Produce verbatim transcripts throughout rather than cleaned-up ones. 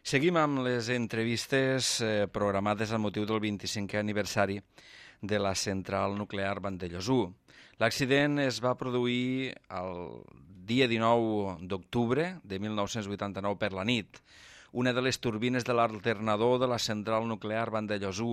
Seguim amb les entrevistes eh, programades amb motiu del vint-i-cinquè aniversari de la central nuclear Vandellòs u. L'accident es va produir el dia dinou d'octubre de mil nou-cents vuitanta-nou per la nit. Una de les turbines de l'alternador de la central nuclear Vandellòs u,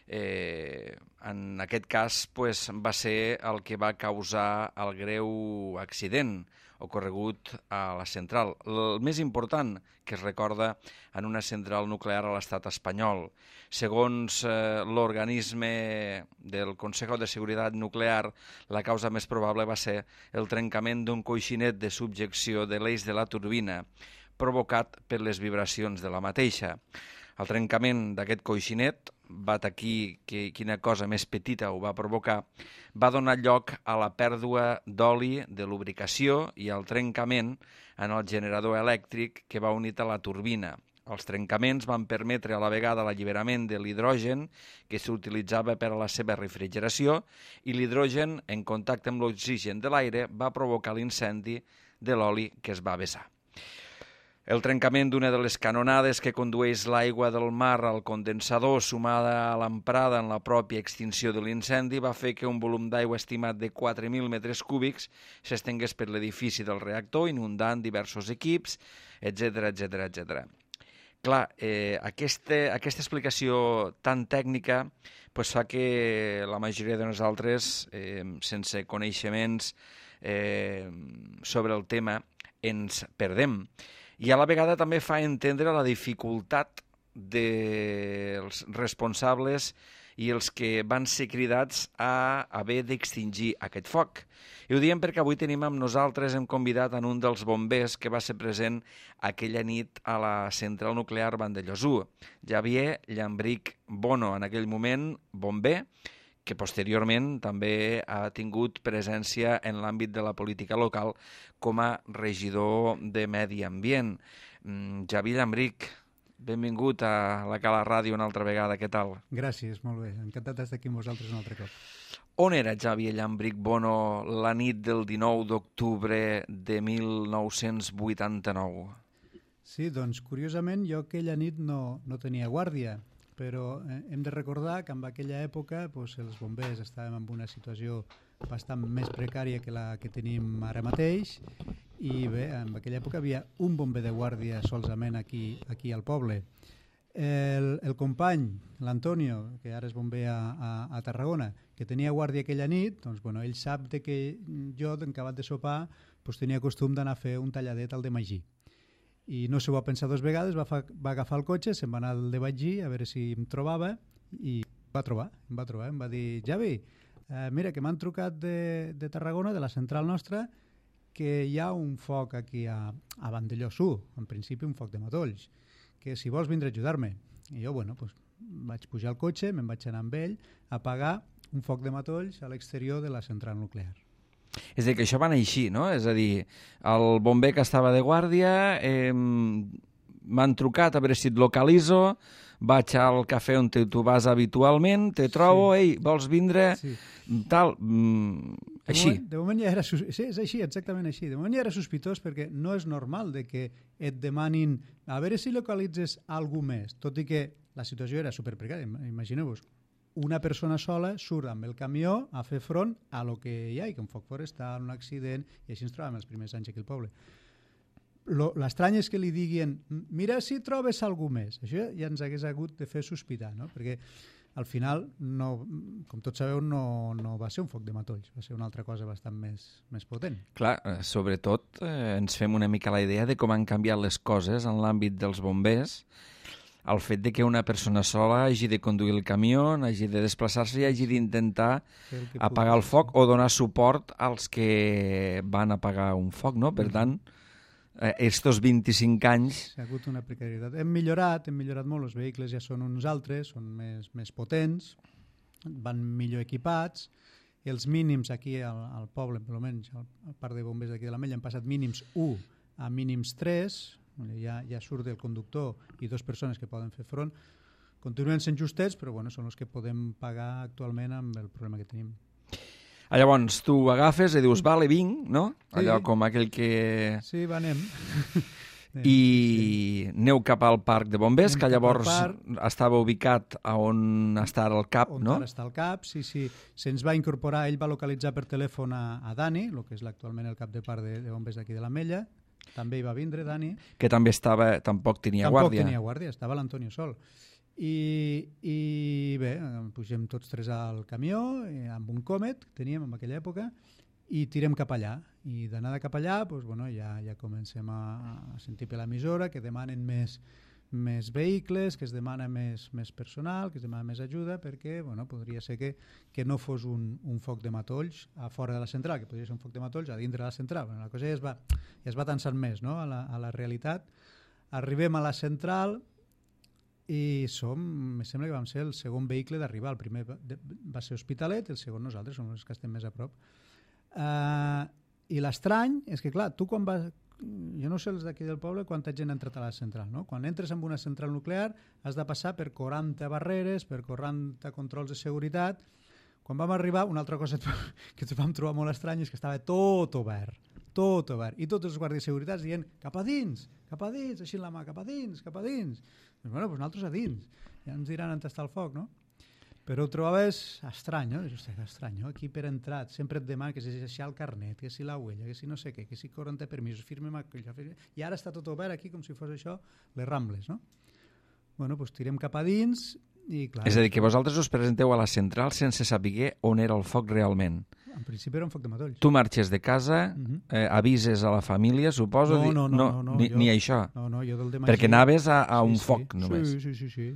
eh, en aquest cas, pues, va ser el que va causar el greu accident ocorregut a la central. El més important que es recorda en una central nuclear a l'estat espanyol. Segons eh, l'organisme del Consejo de Seguridad Nuclear, la causa més probable va ser el trencament d'un coixinet de subjecció de l'eix de la turbina, provocat per les vibracions de la mateixa. El trencament d'aquest coixinet, vat aquí que quina cosa més petita ho va provocar, va donar lloc a la pèrdua d'oli de lubricació i al trencament en el generador elèctric que va unit a la turbina. Els trencaments van permetre a la vegada l'alliberament de l'hidrogen que s'utilitzava per a la seva refrigeració i l'hidrogen, en contacte amb l'oxigen de l'aire, va provocar l'incendi de l'oli que es va vessar. El trencament d'una de les canonades que condueix l'aigua del mar al condensador, sumada a l'emprada en la pròpia extinció de l'incendi, va fer que un volum d'aigua estimat de quatre mil metres cúbics s'estengués per l'edifici del reactor, inundant diversos equips, etcètera, etcètera, etcètera. Clar, eh, aquesta, aquesta explicació tan tècnica pues, fa que la majoria de nosaltres, eh, sense coneixements eh, sobre el tema, ens perdem. I a la vegada també fa entendre la dificultat dels responsables i els que van ser cridats a haver d'extingir aquest foc. I ho diem perquè avui tenim amb nosaltres, hem convidat en un dels bombers que va ser present aquella nit a la central nuclear Vandellòs u, Javier Llambrich Bono, en aquell moment bomber, que posteriorment també ha tingut presència en l'àmbit de la política local com a regidor de Medi Ambient. Mm, Javier Llambrich, benvingut a la Cala Ràdio una altra vegada, què tal? Gràcies, molt bé, encantat d'estar aquí amb vosaltres un altre cop. On era Javier Llambrich Bono la nit del dinou d'octubre de mil nou-cents vuitanta-nou? Sí, doncs curiosament jo aquella nit no, no tenia guàrdia, però hem de recordar que en aquella època doncs, els bombers estàvem en una situació bastant més precària que la que tenim ara mateix i bé, en aquella època havia un bomber de guàrdia solament aquí, aquí al poble. El, el company, l'Antonio, que ara és bomber a, a, a Tarragona, que tenia guàrdia aquella nit, doncs bueno, ell sap de que jo, acabat de sopar, doncs, tenia costum d'anar a fer un talladet al de Magí. I no s'ho va pensar dues vegades, va, fa, va agafar el cotxe, se'n va anar al de Magí a veure si em trobava i em va trobar, em va trobar, em va dir Javi, eh, mira que m'han trucat de, de Tarragona, de la central nostra, que hi ha un foc aquí a, a Vandellòs u, en principi un foc de matolls, que si vols vindre a ajudar-me. I jo, bueno, pues, vaig pujar al cotxe, me'n vaig anar amb ell a apagar un foc de matolls a l'exterior de la central nuclear. És a dir, que això va anar així, no? És a dir, el bomber que estava de guàrdia, eh, m'han trucat a veure si et localitzo, vaig al cafè on tu vas habitualment, te trobo, sí. Ei, vols vindre? Sí. Tal, mm, així. De moment, de moment ja era, sí, és així, exactament així. De moment ja era sospitós perquè no és normal de que et demanin a veure si localitzes algú més, tot i que la situació era superprecària. Imagineu-vos, una persona sola surt amb el camió a fer front a lo que hi ha, i que un foc forestal, un accident, i així ens trobàvem els primers anys aquí al poble. L'estrany és que li diguin mira si trobes algú més. Això ja ens hagués hagut de fer sospitar, no? Perquè al final, no, com tots sabeu, no, no va ser un foc de matolls, va ser una altra cosa bastant més, més potent. Clar, sobretot eh, ens fem una mica la idea de com han canviat les coses en l'àmbit dels bombers, el fet de que una persona sola hagi de conduir el camió, hagi de desplaçar-se i hagi d'intentar apagar el foc o donar suport als que van apagar un foc, no? Per tant, estos vint-i-cinc anys... Ha hagut una precarietat. Hem millorat, hem millorat molt, els vehicles ja són uns altres, són més, més potents, van millor equipats, els mínims aquí al, al poble, almenys a part de bombers d'aquí de l'Ametlla, han passat mínims u a mínims tres, ja, ja surt el conductor i dues persones que poden fer front. Continuen sent justets, però bueno, són els que podem pagar actualment amb el problema que tenim. Llavors, tu agafes i dius, vale, vinc, no? Allò sí. Com aquell que... Sí, va, anem. I aneu cap al parc de bombers, Anem que cap al llavors parc. estava ubicat a on està ara el cap, On no? ara està el cap, sí, sí. Se'ns va incorporar, ell va localitzar per telèfon a, a Dani, el que és actualment el cap de parc de, de bombers d'aquí de l'Ametlla. També hi va vindre, Dani. Que també estava, tampoc tenia Tampoc guàrdia. tenia guàrdia, estava l'Antonio sol. I, I bé, pugem tots tres al camió, eh, amb un Comet que teníem en aquella època, i tirem cap allà. I d'anada cap allà doncs, bueno, ja, ja comencem a, a sentir per l'emissora que demanen més, més vehicles, que es demana més, més personal, que es demana més ajuda, perquè bueno, podria ser que, que no fos un, un foc de matolls a fora de la central, que podria ser un foc de matolls a dintre de la central. Bueno, la cosa ja es va, ja es va tensant més, no? a, la, a la realitat. Arribem a la central i som, em sembla que vam ser el segon vehicle d'arribar. El primer va, de, va ser Hospitalet, el segon nosaltres, som els que estem més a prop. Uh, I l'estrany és que, clar, tu quan vas... Jo no sé els d'aquí del poble quanta gent ha entrat a la central, no? Quan entres en una central nuclear has de passar per quaranta barreres, per quaranta controls de seguretat. Quan vam arribar, una altra cosa que ens vam trobar molt estrany és que estava tot obert, tot obert, i tots els guàrdies de seguretat dient cap a dins, cap a dins, així la mà, cap a dins, cap a dins. Doncs, bueno, doncs nosaltres a dins, ja ens diran on està el foc, no? Però ho trobaves estrany, no? Hosti, que estrany, no? Aquí per entrar sempre et demana que si deixar el carnet, que si la huella, que si no sé què, que si quaranta permisos, firmem aquella, i ara està tot obert aquí com si fos això les Rambles, no? Bueno, doncs tirem cap a dins i clar... És a dir, que vosaltres us presenteu a la central sense saber on era el foc realment. En principi era un foc de matolls. Tu marxes de casa, uh-huh. eh, avises a la família, suposo... No, no, no, no, no, ni, jo, ni això. No, no, jo del demà... Perquè anaves a, a sí, un sí, foc, només. Sí, sí, sí, sí.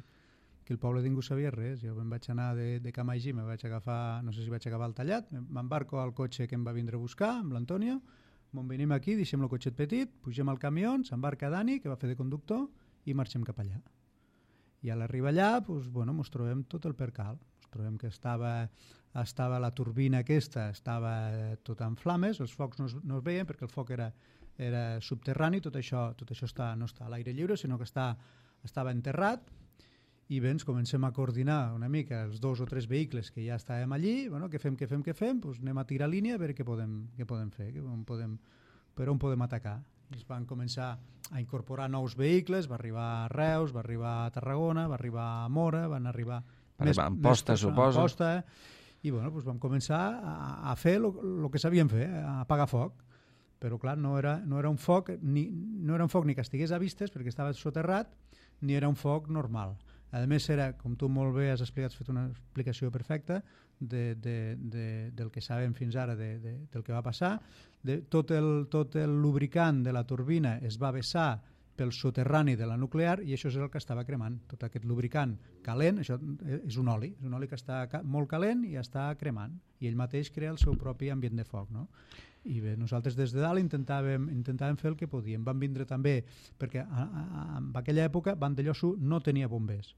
Que el poble ningú sabia res. Jo em vaig anar de, de Camaigí, me vaig agafar, no sé si vaig agafar el tallat, m'embarco al cotxe que em va vindre a buscar, amb l'Antonio, me'n venim aquí, deixem el cotxet petit, pugem al camió, s'embarca Dani, que va fer de conductor, i marxem cap allà. I a l'arribar allà, doncs, bueno, mos trobem tot el percal. Mos trobem que estava, estava la turbina aquesta, estava tot en flames, els focs no es, no es veien perquè el foc era, era subterrani, tot això, tot això està, no està a l'aire lliure, sinó que està, estava enterrat. I bé, ens comencem a coordinar una mica els dos o tres vehicles que ja estàvem allí, bueno, què fem, què fem, què fem, doncs anem a tirar línia a veure què podem, què podem fer, què podem, per on podem atacar. I es van començar a incorporar nous vehicles, va arribar a Reus, va arribar a Tarragona, va arribar a Mora, van arribar... Va arribar a Amposta, suposo. Amposta, i bueno, doncs vam començar a, a fer el que sabíem fer, a apagar foc. Però clar, no era, no era un foc ni, no era un foc ni que estigués a vistes perquè estava soterrat, ni era un foc normal. A més, era, com tu molt bé has explicat, has fet una explicació perfecta de, de, de, del que sabem fins ara de, de, del que va passar. De, tot, el, tot el lubricant de la turbina es va vessar pel soterrani de la nuclear i això és el que estava cremant. Tot aquest lubricant calent, això és un oli, és un oli que està molt calent i està cremant. I ell mateix crea el seu propi ambient de foc, no? I bé, nosaltres des de dalt intentàvem, intentàvem fer el que podíem. Vam vindre també, perquè a, a, en aquella època Vandellòs u no tenia bombers.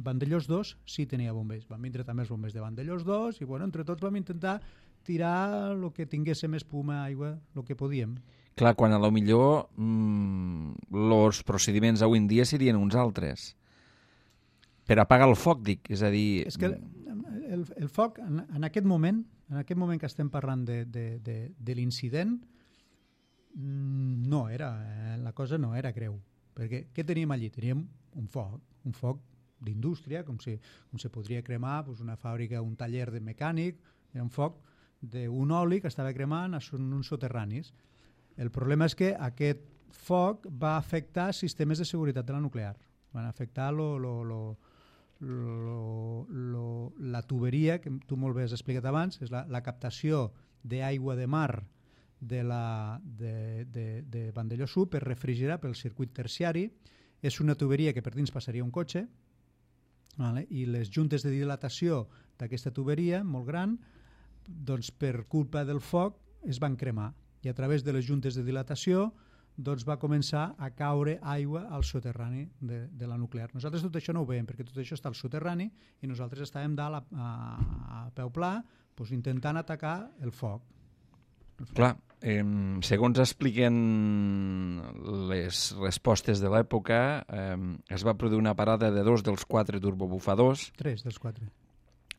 Vandellòs dos sí tenia bombers. Van vindre també els bombers de Vandellòs dos i bueno, entre tots vam intentar tirar el que tinguéssim espuma, aigua, el que podíem. Clar, quan a lo millor mmm, els procediments avui en dia serien uns altres. Per apagar el foc, dic, és a dir... És que el, el, el foc, en, en aquest moment, en aquest moment que estem parlant de, de, de, de l'incident, no era, la cosa no era greu. Perquè què teníem allí? Teníem un foc, un foc d'indústria, com si, com si podria cremar doncs, una fàbrica, un taller de mecànic, era un foc d'un oli que estava cremant a uns soterranis. El problema és que aquest foc va afectar sistemes de seguretat de la nuclear. Van afectar lo, lo, lo, lo, lo, la tuberia, que tu molt bé has explicat abans, és la, la captació d'aigua de mar de, la, de, de, de Vandellòs u per refrigerar pel circuit terciari. És una tuberia que per dins passaria un cotxe, vale? I les juntes de dilatació d'aquesta tuberia, molt gran, doncs per culpa del foc es van cremar. I a través de les juntes de dilatació doncs va començar a caure aigua al soterrani de, de la nuclear. Nosaltres tot això no ho veiem, perquè tot això està al soterrani i nosaltres estàvem dalt a, a, a peu pla doncs, intentant atacar el foc. El foc. Clar, eh, segons expliquen les respostes de l'època, eh, es va produir una parada de dos dels quatre turbobufadors. Tres dels quatre.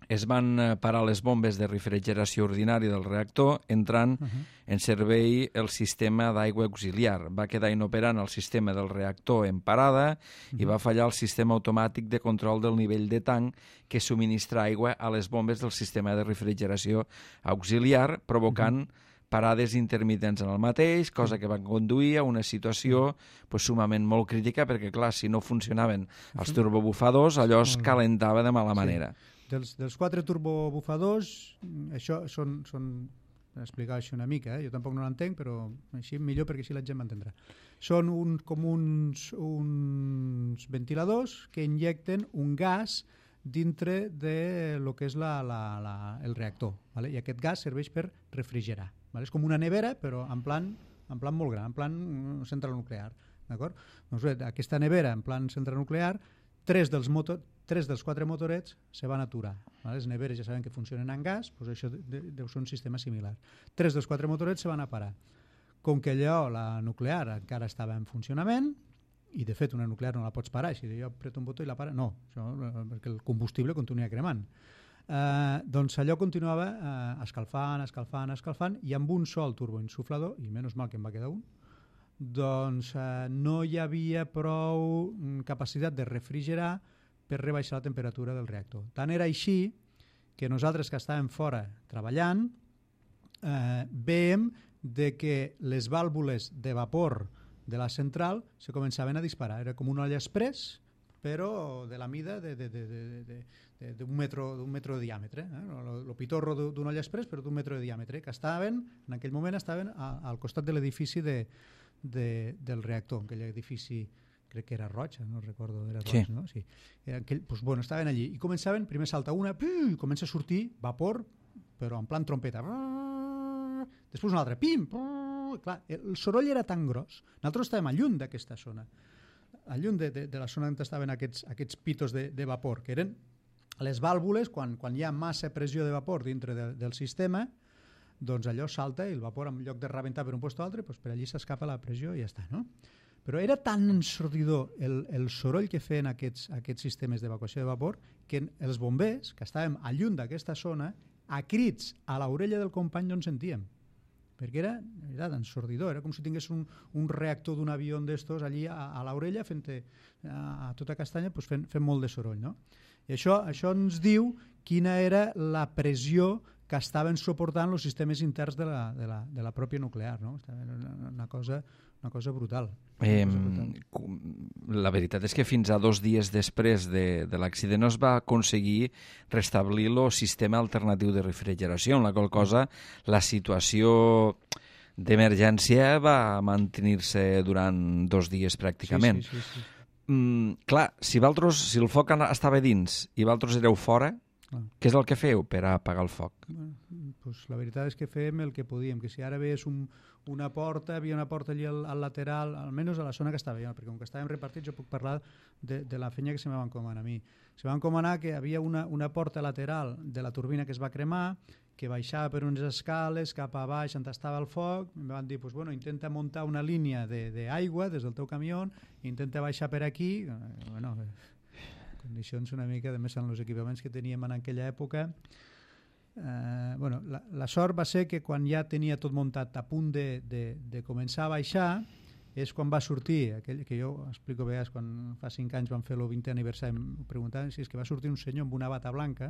es van parar les bombes de refrigeració ordinària del reactor, entrant uh -huh. en servei el sistema d'aigua auxiliar. Va quedar inoperant el sistema del reactor en parada uh -huh. i va fallar el sistema automàtic de control del nivell de tanc que subministra aigua a les bombes del sistema de refrigeració auxiliar, provocant uh -huh. parades intermitents en el mateix, cosa que va conduir a una situació pues, sumament molt crítica, perquè, clar, si no funcionaven els turbobufadors, allò es calentava de mala manera. Sí. Dels, dels quatre turbobufadors, això són, són explicar això una mica, eh? Jo tampoc no l'entenc, però així millor perquè així la gent m'entendrà. Són un, com uns, uns ventiladors que injecten un gas dintre de lo que és la, la, la, el reactor, ¿vale? I aquest gas serveix per refrigerar, ¿vale? És com una nevera, però en plan, en plan molt gran, en plan central nuclear, d'acord? Doncs bé, aquesta nevera en plan central nuclear, tres dels, motor, tres dels quatre motorets se van aturar. ¿Vale? Les neveres ja saben que funcionen en gas, doncs això de, deu ser un sistema similar. Tres dels quatre motorets se van a parar. Com que allò, la nuclear, encara estava en funcionament, i de fet una nuclear no la pots parar, si jo apreto un botó i la para, no, això, perquè el combustible continua cremant. Eh, doncs allò continuava eh, escalfant, escalfant, escalfant, i amb un sol turboinsuflador, i menys mal que em va quedar un, doncs eh, no hi havia prou capacitat de refrigerar per rebaixar la temperatura del reactor. Tant era així que nosaltres que estàvem fora treballant eh, veiem de que les vàlvules de vapor de la central se començaven a disparar. Era com una olla express, però de la mida d'un metro, d'un metro de diàmetre. Eh? El pitorro d'una olla express, però d'un metro de diàmetre, que estaven, en aquell moment estaven a, al costat de l'edifici de, de, del reactor, aquell edifici crec que era roig, no recordo, era roig, sí. No? Sí. Era aquell, doncs, bueno, estaven allí i començaven, primer salta una, i comença a sortir vapor, però en plan trompeta. Després una altra, pim, clar, el soroll era tan gros. Nosaltres estàvem a lluny d'aquesta zona, a lluny de, de, de la zona on estaven aquests, aquests pitos de, de vapor, que eren les vàlvules, quan, quan hi ha massa pressió de vapor dintre de, del sistema, doncs allò salta i el vapor, en lloc de rebentar per un lloc o altre, doncs per allí s'escapa la pressió i ja està, no? Però era tan ensordidor el, el soroll que feien aquests, aquests sistemes d'evacuació de vapor que els bombers, que estàvem a lluny d'aquesta zona, a crits a l'orella del company no en sentíem, perquè era, era ensordidor, era com si tingués un, un reactor d'un avió d'estos allí a, a l'orella fent a, a tota castanya pues fent, fent molt de soroll, no? I això, això ens diu quina era la pressió que estaven suportant els sistemes interns de la, de la, de la pròpia nuclear, no? Una, una, cosa, una cosa brutal. Eh, la veritat és que fins a dos dies després de, de l'accident no es va aconseguir restablir el sistema alternatiu de refrigeració, en la qual cosa la situació d'emergència va mantenir-se durant dos dies pràcticament. Sí, sí, sí, sí. Mm, clar, si, valtros, si el foc estava dins i vosaltres éreu fora, ah. Què és el que feu per apagar el foc? Bueno, pues la veritat és que fèiem el que podíem, que si ara veies un, una porta, havia una porta allà al, al lateral, almenys a la zona que estava jo, perquè com que estàvem repartits jo puc parlar de, de la feina que se me va encomanar a mi. Se va encomanar que havia una, una porta lateral de la turbina que es va cremar, que baixava per unes escales cap a baix on estava el foc, em van dir, pues, bueno, intenta muntar una línia d'aigua de, des del teu camió, intenta baixar per aquí, bueno, condicions una mica, de més en els equipaments que teníem en aquella època. Eh, bueno, la, la sort va ser que quan ja tenia tot muntat a punt de, de, de començar a baixar, és quan va sortir, aquell que jo explico a vegades, quan fa cinc anys vam fer el vintè aniversari, em preguntaven si és que va sortir un senyor amb una bata blanca,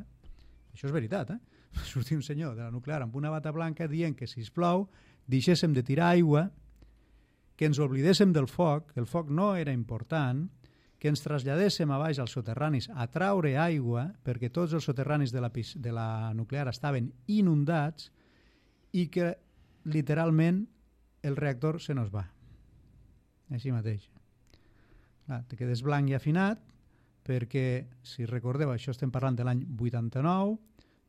això és veritat, eh? Va sortir un senyor de la nuclear amb una bata blanca dient que, sisplau, deixéssim de tirar aigua, que ens oblidéssim del foc, que el foc no era important, que ens traslladéssim a baix als soterranis a traure aigua, perquè tots els soterranis de la, de la nuclear estaven inundats i que literalment el reactor se nos va. Així mateix. Clar, te quedes blanc i afinat perquè, si recordeu, això estem parlant de l'any vuitanta-nou,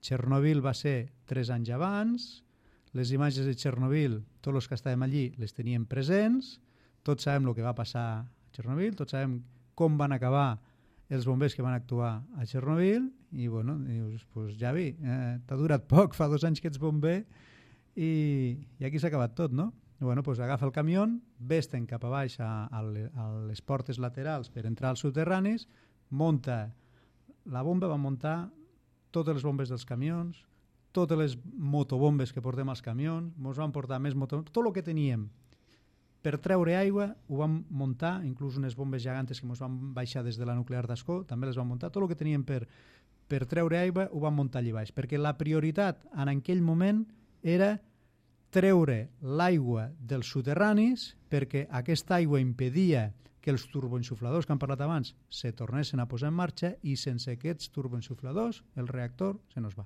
Chernobyl va ser tres anys abans, les imatges de Chernobyl, tots els que estàvem allí les teníem presents, tots sabem el que va passar a Chernobyl, tots sabem com van acabar els bombers que van actuar a Chernobyl, i bueno, dius, pues, Javi, eh, t'ha durat poc, fa dos anys que ets bomber, i, i aquí s'ha acabat tot, no? Bueno, pues agafa el camió, ves-te'n cap a baix a, a, a les portes laterals per entrar als soterranis, munta la bomba, va muntar totes les bombes dels camions, totes les motobombes que portem als camions, ens van portar més motobombes, tot el que teníem per treure aigua ho vam muntar, inclús unes bombes gegantes que ens van baixar des de la nuclear d'Ascó, també les vam muntar, tot el que teníem per, per treure aigua ho vam muntar allà baix, perquè la prioritat en aquell moment era treure l'aigua dels soterranis perquè aquesta aigua impedia que els turboensufladors que han parlat abans se tornessin a posar en marxa i sense aquests turboensufladors el reactor se nos va,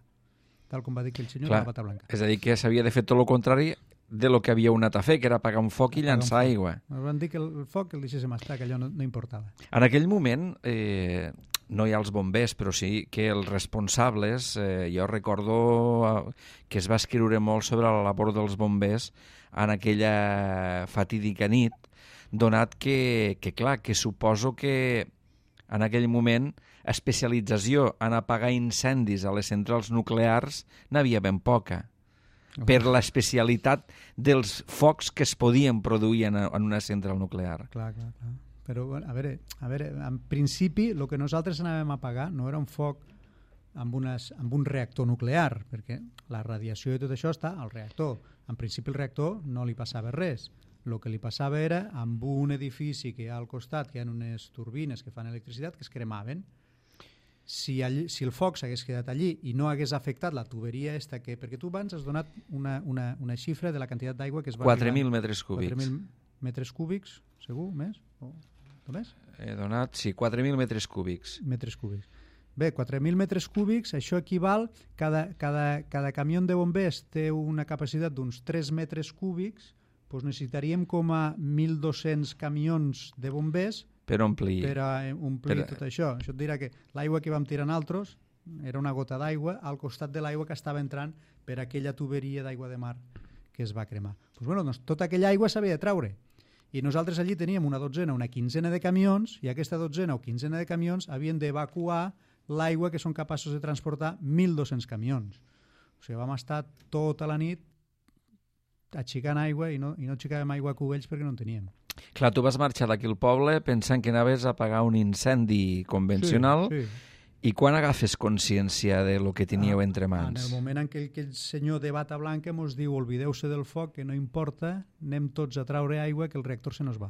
tal com va dir aquell senyor de la bata blanca. És a dir, que s'havia de fer tot el contrari de lo que havia anat a fer, que era apagar un foc i llançar aigua. Ens van dir que el foc el deixéssim estar, que allò no, no importava. En aquell moment eh, no hi ha els bombers, però sí que els responsables, eh, jo recordo que es va escriure molt sobre la labor dels bombers en aquella fatídica nit, donat que, que clar, que suposo que en aquell moment especialització en apagar incendis a les centrals nuclears n'havia ben poca, oh. per l'especialitat dels focs que es podien produir en, en una central nuclear. Clar, clar, clar. Però, a veure, a veure, en principi, el que nosaltres anàvem a apagar no era un foc amb, unes, amb un reactor nuclear, perquè la radiació i tot això està al reactor. En principi, el reactor no li passava res. El que li passava era amb un edifici que hi ha al costat, que hi ha unes turbines que fan electricitat, que es cremaven. Si, allí, si el foc s'hagués quedat allí i no hagués afectat la tuberia esta, que, perquè tu abans has donat una, una, una xifra de la quantitat d'aigua que es va... quatre mil metres cúbics. quatre mil metres cúbics, segur, més? O només? He donat, sí, quatre mil metres cúbics. Metres cúbics. Bé, quatre mil metres cúbics, això equival, cada, cada, cada camió de bombers té una capacitat d'uns tres metres cúbics, doncs necessitaríem com a mil dos-cents camions de bombers per omplir, per a omplir per... tot això. Això et dirà que l'aigua que vam tirar nosaltres era una gota d'aigua al costat de l'aigua que estava entrant per aquella tuberia d'aigua de mar que es va cremar. Pues bueno, doncs, tota aquella aigua s'havia de traure. I nosaltres allí teníem una dotzena, una quinzena de camions, i aquesta dotzena o quinzena de camions havien d'evacuar l'aigua que són capaços de transportar mil dos-cents camions. O sigui, vam estar tota la nit aixicant aigua i no, i no aixicàvem aigua a cubells perquè no en teníem. Clar, tu vas marxar d'aquí al poble pensant que anaves a apagar un incendi convencional, sí, sí. I quan agafes consciència de lo que teníeu ah, entre mans? En el moment en què aquell senyor de bata blanca ens diu olvideu-se del foc, que no importa, anem tots a traure aigua que el reactor se nos va.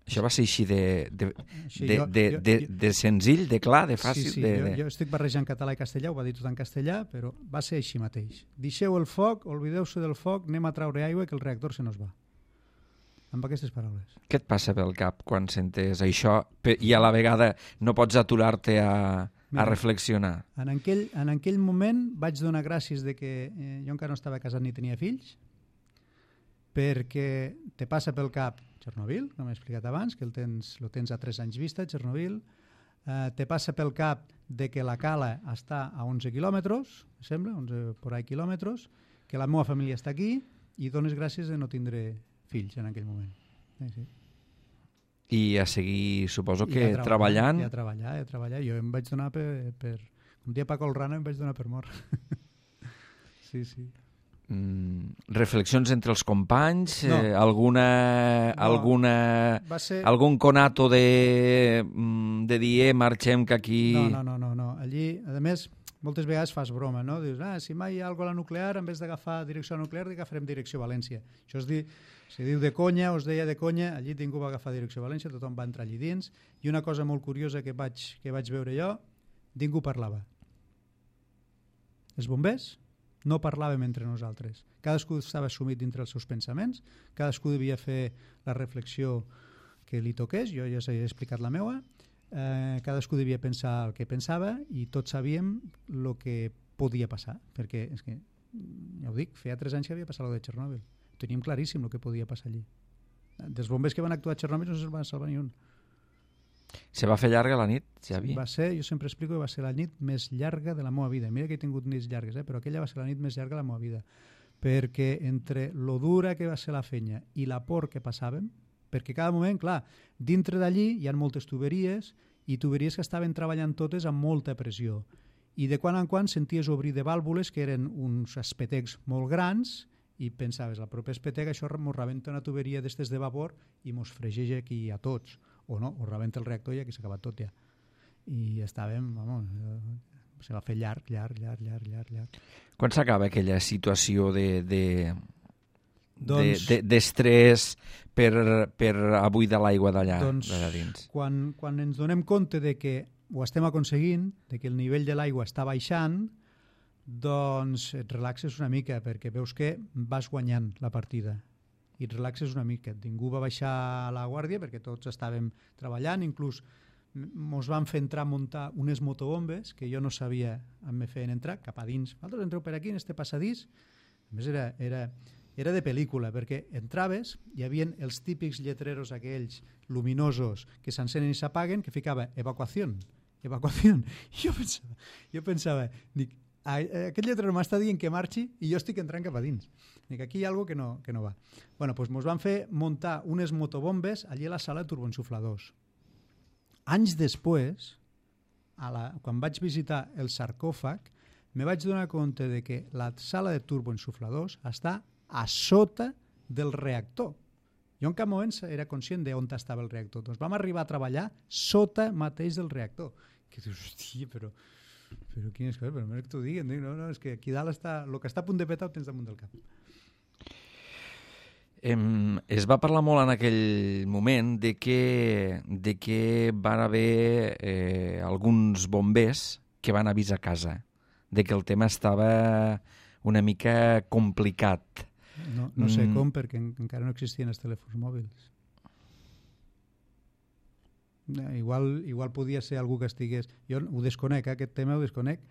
Això va ser així de, de, sí, de, jo, de, jo, de, de senzill, de clar, de fàcil? Sí, sí, de, jo, de... jo estic barrejant català i castellà, ho va dir tot en castellà, però va ser així mateix. Deixeu el foc, olvideu-se del foc, anem a traure aigua que el reactor se nos va. Amb aquestes paraules. Què et passa pel cap quan sentes això i a la vegada no pots aturar-te a, a reflexionar? En aquell, en aquell moment vaig donar gràcies de que eh, jo encara no estava casat ni tenia fills, perquè te passa pel cap Chernobyl, com he explicat abans, que el tens, lo tens a tres anys vista, Chernobyl, eh, te passa pel cap de que la cala està a onze quilòmetres, sembla, onze por ahí quilòmetres, que la meva família està aquí i dones gràcies de no tindre fills en aquell moment. Sí, sí. I a seguir, suposo que I a treballant... I a treballar, i a treballar. Jo em vaig donar per... per un dia Paco Olrana em vaig donar per mort. Sí, sí. Mm, reflexions entre els companys? No. Eh, alguna... No. alguna Va ser... algun conato de, de dir, eh, marxem que aquí... No, no, no, no, no. Allí, a més, moltes vegades fas broma, no? Dius, ah, si mai hi ha alguna cosa a la nuclear, en vez d'agafar direcció a la nuclear, agafarem direcció a València. Això es diu, se diu de conya, us deia de conya, allí ningú va agafar direcció a València, tothom va entrar allí dins, i una cosa molt curiosa que vaig, que vaig veure jo, ningú parlava. Els bombers no parlàvem entre nosaltres. Cadascú estava sumit dintre els seus pensaments, cadascú devia fer la reflexió que li toqués, jo ja s'he explicat la meua, eh, cadascú devia pensar el que pensava i tots sabíem el que podia passar, perquè és que, ja ho dic, feia tres anys que havia passat el de Chernobyl. Teníem claríssim el que podia passar allí. Dels bombers que van actuar a Chernobyl no se'n van salvar ni un. Se va fer llarga la nit, Xavi? Va ser, jo sempre explico que va ser la nit més llarga de la meva vida. Mira que he tingut nits llargues, eh? Però aquella va ser la nit més llarga de la meva vida. Perquè entre lo dura que va ser la fenya i la por que passàvem, perquè cada moment, clar, dintre d'allí hi ha moltes tuberies i tuberies que estaven treballant totes amb molta pressió. I de quan en quan senties obrir de vàlvules que eren uns espetecs molt grans i pensaves, al proper espetec això mos rebenta una tuberia d'estes de vapor i mos fregeix aquí a tots. O no, o rebenta el reactor i aquí s'ha acabat tot ja. I estàvem, vamos, se va fer llarg, llarg, llarg, llarg, llarg, llarg. Quan s'acaba aquella situació de, de, doncs, de, de, d'estrès per, per abuidar l'aigua d'allà, doncs, d'allà dins? Quan, quan ens donem compte de que ho estem aconseguint, de que el nivell de l'aigua està baixant, doncs et relaxes una mica, perquè veus que vas guanyant la partida i et relaxes una mica. Ningú va baixar la guàrdia perquè tots estàvem treballant, inclús ens van fer entrar a muntar unes motobombes que jo no sabia on me feien entrar, cap a dins. Vosaltres entreu per aquí, en este passadís. A més era, era, era de pel·lícula, perquè entraves, hi havia els típics lletreros aquells luminosos que s'encenen i s'apaguen, que ficava evacuació, evacuació. I jo pensava, jo pensava, dic, aquest lletrero m'està dient que marxi i jo estic entrant cap a dins. Dic, aquí hi ha alguna cosa que no, que no va. Bueno, doncs ens van fer muntar unes motobombes allí a la sala de turboensufladors. Anys després, a la, quan vaig visitar el sarcòfag, me vaig donar compte de que la sala de turboensufladors està a sota del reactor. Jo en cap moment era conscient d'on estava el reactor. Doncs vam arribar a treballar sota mateix del reactor. Que dius, hòstia, però... Però quines coses, però només que t'ho diguin. No, no, és que aquí dalt està... El que està a punt de petar ho tens damunt del cap. Em, es va parlar molt en aquell moment de que, de que van haver eh, alguns bombers que van avisar a casa, de que el tema estava una mica complicat. No, no sé mm. com, perquè en, encara no existien els telèfons mòbils. Igual, igual podia ser algú que estigués... Jo ho desconec, eh, aquest tema ho desconec,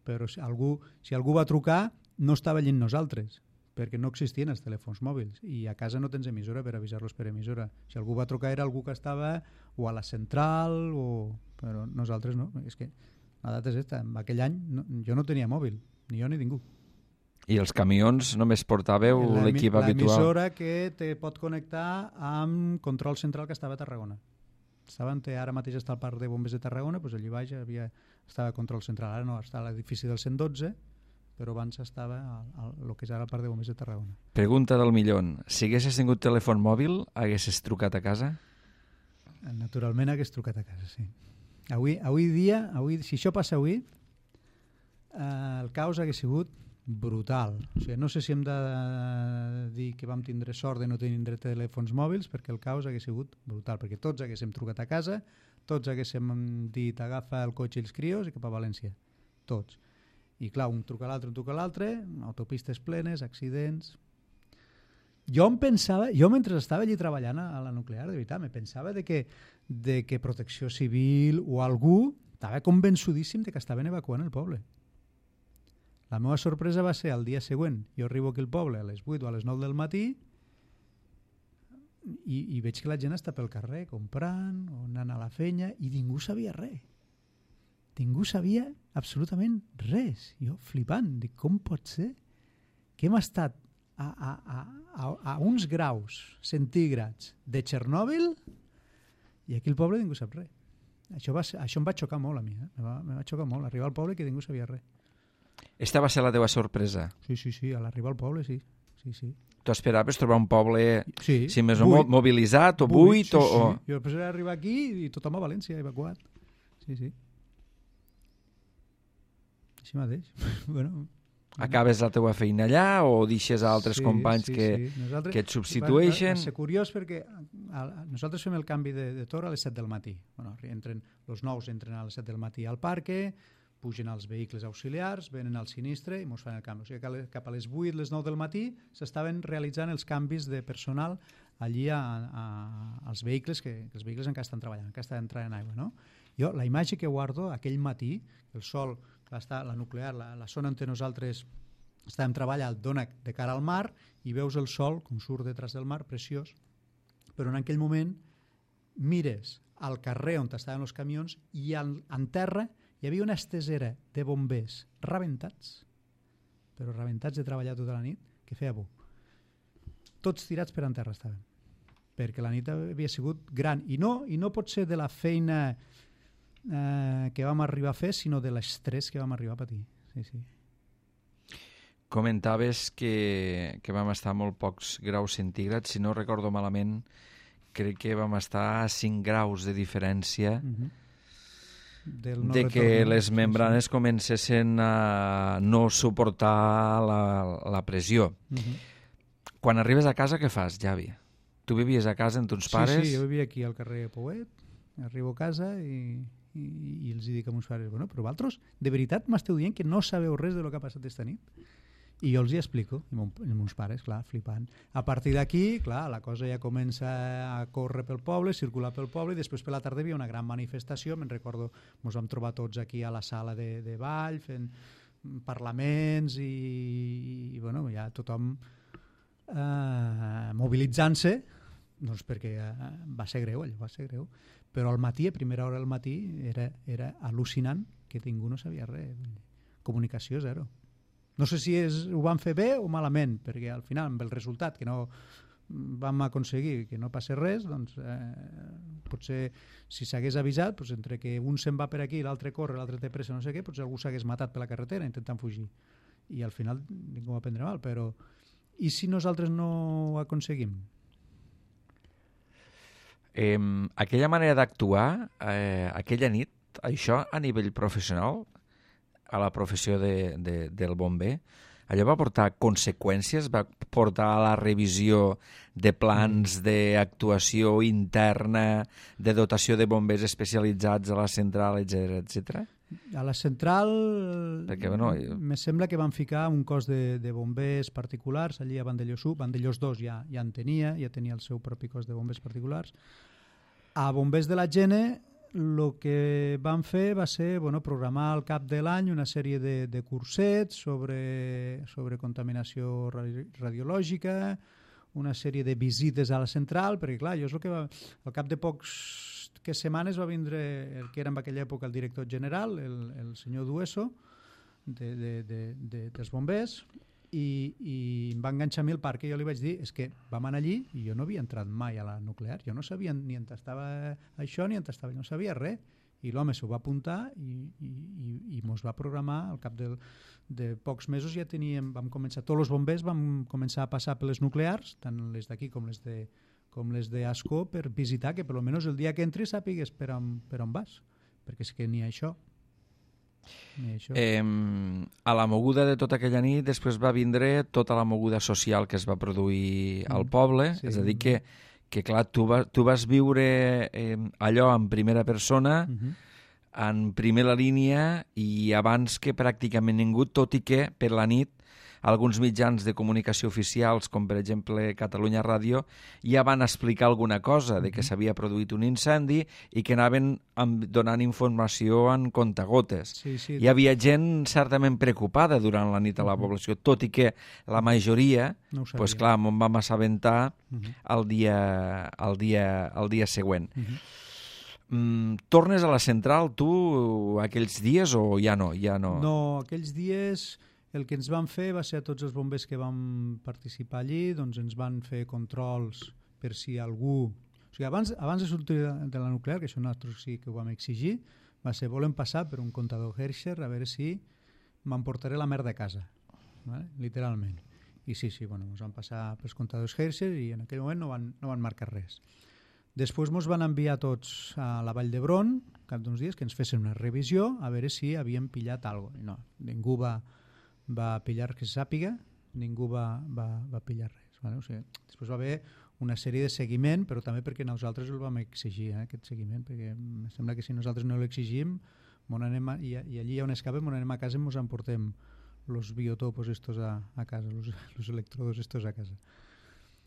però si algú, si algú va trucar no estava allí nosaltres, perquè no existien els telèfons mòbils i a casa no tens emissora per avisar-los per emissora. Si algú va trucar era algú que estava o a la central, o... però nosaltres no. És que la data és esta. En aquell any no, jo no tenia mòbil, ni jo ni ningú. I els camions només portàveu l'equip habitual? L'emissora que te pot connectar amb control central que estava a Tarragona. Estaven, ara mateix està al parc de bombers de Tarragona, doncs allí baix havia, estava control central. Ara no, està a l'edifici del cent dotze, però abans estava el que és ara el parc de bombers de Tarragona. Pregunta del millón. Si haguessis tingut telèfon mòbil, haguessis trucat a casa? Naturalment hagués trucat a casa, sí. Avui, avui dia, avui, si això passa avui, eh, el caos hagués sigut brutal. O sigui, no sé si hem de dir que vam tindre sort de no tenir telèfons mòbils, perquè el caos hagués sigut brutal, perquè tots haguéssim trucat a casa, tots haguéssim dit agafa el cotxe i els crios i cap a València. Tots. I clar, un truca a l'altre, un truca a l'altre, autopistes plenes, accidents... Jo em pensava, jo mentre estava allí treballant a la nuclear, de veritat, me pensava de que, de que Protecció Civil o algú estava convençudíssim de que estaven evacuant el poble. La meva sorpresa va ser el dia següent. Jo arribo aquí al poble a les vuit o a les nou del matí i, i veig que la gent està pel carrer comprant o anant a la feina i ningú sabia res. Ningú sabia absolutament res. Jo flipant. Dic, com pot ser que hem estat a, a, a, a, a uns graus centígrads de Txernòbil i aquí al poble ningú sap res. Això, va ser, això em va xocar molt a mi. Eh? Me, va, me va xocar molt. Arribar al poble que ningú sabia res. Esta va ser la teva sorpresa? Sí, sí, sí, a l'arribar al poble, sí. sí, sí. Tu esperaves trobar un poble sí, si més o menys mobilitzat o buit? Sí, o... sí. Jo pensava arribar aquí i tothom a València, evacuat. Sí, sí. Així mateix. bueno, Acabes la teva feina allà o deixes a altres sí, companys sí, que, sí. Nosaltres, que et substitueixen? Va, va ser curiós perquè a, a, nosaltres fem el canvi de, de torre a les set del matí. Bueno, entren, els nous entren a les set del matí al parque, pugen els vehicles auxiliars, venen al sinistre i ens fan el canvi. O sigui, cap a les vuit, les nou del matí s'estaven realitzant els canvis de personal allí a, a, als vehicles, que, que els vehicles encara estan treballant, encara estan entrant en aigua. No? Jo, la imatge que guardo aquell matí, el sol, està, la nuclear, la, la zona on nosaltres estàvem treballant, dona de cara al mar i veus el sol, com surt detrás del mar, preciós, però en aquell moment mires al carrer on estaven els camions i en, en terra hi havia una estesera de bombers rebentats, però rebentats de treballar tota la nit, que feia por. Tots tirats per en terra estaven, perquè la nit havia sigut gran. I no, i no pot ser de la feina eh, que vam arribar a fer, sinó de l'estrès que vam arribar a patir. Sí, sí. Comentaves que, que vam estar a molt pocs graus centígrads. Si no recordo malament, crec que vam estar a cinc graus de diferència. Mhm. del no de retorn. que les Sí, membranes sí. comencessin a no suportar la, la pressió. Uh-huh. Quan arribes a casa, què fas, Javi? Tu vivies a casa amb tons Sí, pares? sí, jo vivia aquí al carrer Pouet, arribo a casa i, i, i els dic a meus pares, bueno, però vosaltres de veritat m'esteu dient que no sabeu res de lo que ha passat esta nit? I jo els hi explico, i mon, i meus pares, clar, flipant. A partir d'aquí, clar, la cosa ja comença a córrer pel poble, circular pel poble, i després per la tarda hi havia una gran manifestació, me'n recordo, ens vam trobar tots aquí a la sala de, de ball, fent parlaments i, i bueno, ja tothom eh, mobilitzant-se, doncs perquè eh, va ser greu, allò va ser greu, però al matí, a primera hora del matí, era, era al·lucinant que ningú no sabia res, comunicació zero. No sé si és, ho van fer bé o malament, perquè al final, amb el resultat que no vam aconseguir que no passi res, doncs eh, potser si s'hagués avisat, doncs, entre que un se'n va per aquí, l'altre corre, l'altre té pressa, no sé què, potser algú s'hagués matat per la carretera intentant fugir. I al final ningú va prendre mal, però i si nosaltres no ho aconseguim? Eh, aquella manera d'actuar, eh, aquella nit, això a nivell professional, a la professió de, de, del bomber, allò va portar conseqüències, va portar a la revisió de plans d'actuació interna, de dotació de bombers especialitzats a la central, etcètera, etcètera? A la central Perquè, bueno, me sembla que van ficar un cos de, de bombers particulars allí a Vandellós u, Vandellós dos ja, ja en tenia, ja tenia el seu propi cos de bombers particulars. A bombers de la Gene el que van fer va ser bueno, programar al cap de l'any una sèrie de, de cursets sobre, sobre contaminació radiològica, una sèrie de visites a la central, perquè clar, jo és el que va, al cap de pocs que setmanes va vindre el que era en aquella època el director general, el, el senyor Dueso, de, de, de, de, dels bombers, i, i em va enganxar a mi el parc, i jo li vaig dir, és que vam anar allí i jo no havia entrat mai a la nuclear, jo no sabia ni on estava això ni on estava, no sabia res, i l'home s'ho va apuntar i, i, i, i mos va programar al cap del, de pocs mesos ja teníem, vam començar, tots els bombers vam començar a passar per les nuclears, tant les d'aquí com les de com les d'Ascó, per visitar que per almenys el dia que entris sàpigues per on, per on vas, perquè és que ni això. Ni això. Eh, a la moguda de tota aquella nit després va vindre tota la moguda social que es va produir mm. al poble, sí, és a dir que, que clar, tu, va, tu vas viure eh, allò en primera persona, mm-hmm. en primera línia i abans que pràcticament ningú, tot i que per la nit alguns mitjans de comunicació oficials, com per exemple Catalunya Ràdio, ja van explicar alguna cosa de que s'havia produït un incendi i que anaven donant informació en comptagotes. Sí, sí, Hi havia gent certament preocupada durant la nit a la població, tot i que la majoria, no pues, clar, m'ho vam assabentar uh-huh. el, dia, el, dia, el dia següent. Uh-huh. Mm, tornes a la central tu aquells dies o ja no? Ja no? No, aquells dies el que ens van fer va ser a tots els bombers que vam participar allí, doncs ens van fer controls per si algú... O sigui, abans, abans de sortir de la nuclear, que això nosaltres sí que ho vam exigir, va ser, volem passar per un comptador Hershey a veure si m'emportaré la merda a casa, ¿vale? Literalment. I sí, sí, bueno, ens van passar pels comptadors Hershey i en aquell moment no van, no van marcar res. Després ens van enviar tots a la Vall d'Hebron, cap d'uns dies, que ens fessin una revisió a veure si havíem pillat alguna cosa. No, ningú va... va pillar que se sàpiga, ningú va, va, va pillar res. Vale? O sigui, després va haver una sèrie de seguiment, però també perquè nosaltres el vam exigir, eh, aquest seguiment, perquè em sembla que si nosaltres no l'exigim anem a, i, i allí on escapem, on anem a casa ens emportem els biotopos estos a, a casa, els electrodos estos a casa.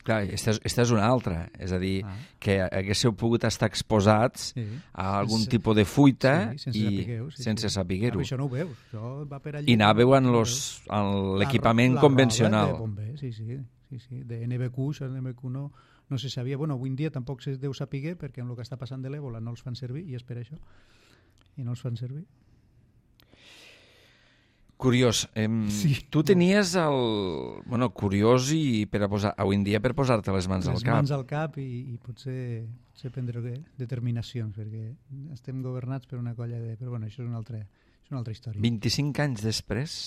Clar, esta és, esta és una altra, és a dir, ah. que haguéssiu pogut estar exposats sí. a algun sense, tipus de fuita sí, sense i sapigueu, sí, sense sí. saber-ho. Això no ho veus, això va per allà. I anàveu en, los, en l'equipament la, la convencional. De bomber, sí, sí, sí, sí, de N B Q, això de N B Q no, no se sabia. Bueno, avui en dia tampoc se deu saber perquè amb el que està passant de l'èbola no els fan servir i és per això. I no els fan servir. Curiós. Eh, sí, tu tenies el... Bueno, curiós i per a posar... Avui en dia per posar-te les mans les al cap. Les mans al cap i, i potser, potser prendre determinacions, perquè estem governats per una colla de... Però bueno, això és una altra, és una altra història. vint-i-cinc anys després,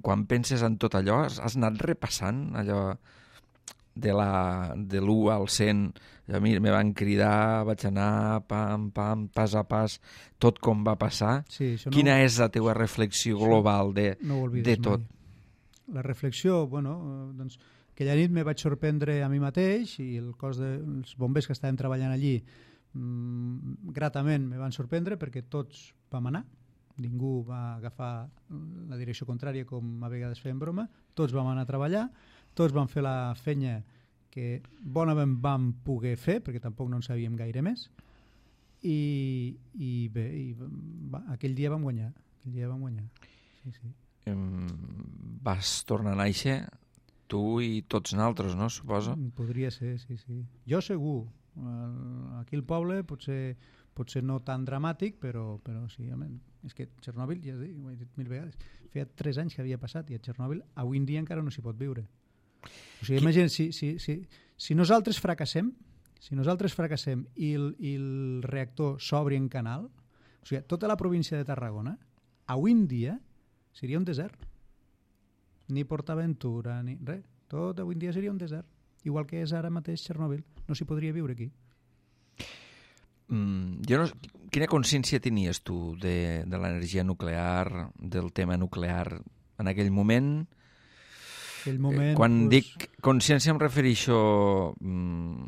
quan penses en tot allò, has anat repassant allò de la de l'u al cent, a mi me van cridar, vaig anar pam, pam, pas a pas, tot com va passar. Sí, no, quina és la teva reflexió global de, no de tot? Mai. La reflexió, bueno, doncs, aquella nit me vaig sorprendre a mi mateix i el cos dels bombers que estaven treballant allí mmm, gratament me van sorprendre perquè tots vam anar, ningú va agafar la direcció contrària com a vegades fem broma, tots vam anar a treballar, tots vam fer la feina que bonament vam poder fer, perquè tampoc no en sabíem gaire més, i, i bé, i va, aquell dia vam guanyar. Aquell dia vam guanyar. Sí, sí. Um, vas tornar a néixer, tu i tots naltros, no, suposo? Podria ser, sí, sí. Jo segur. Aquí al poble potser, potser no tan dramàtic, però, però sí, home, és que Txernòbil, ja ho he dit mil vegades, feia tres anys que havia passat i a Txernòbil avui en dia encara no s'hi pot viure. O sigui, imagina, si, si, si, si nosaltres fracassem, si nosaltres fracassem i el, i el reactor s'obri en canal, o sigui, tota la província de Tarragona, avui en dia seria un desert. Ni PortAventura, ni res. Tot avui en dia seria un desert. Igual que és ara mateix Txernòbil. No s'hi podria viure aquí. Mm, jo no, quina consciència tenies tu de, de l'energia nuclear, del tema nuclear en aquell moment? Aquell moment, quan pues... dic consciència em refereixo mm,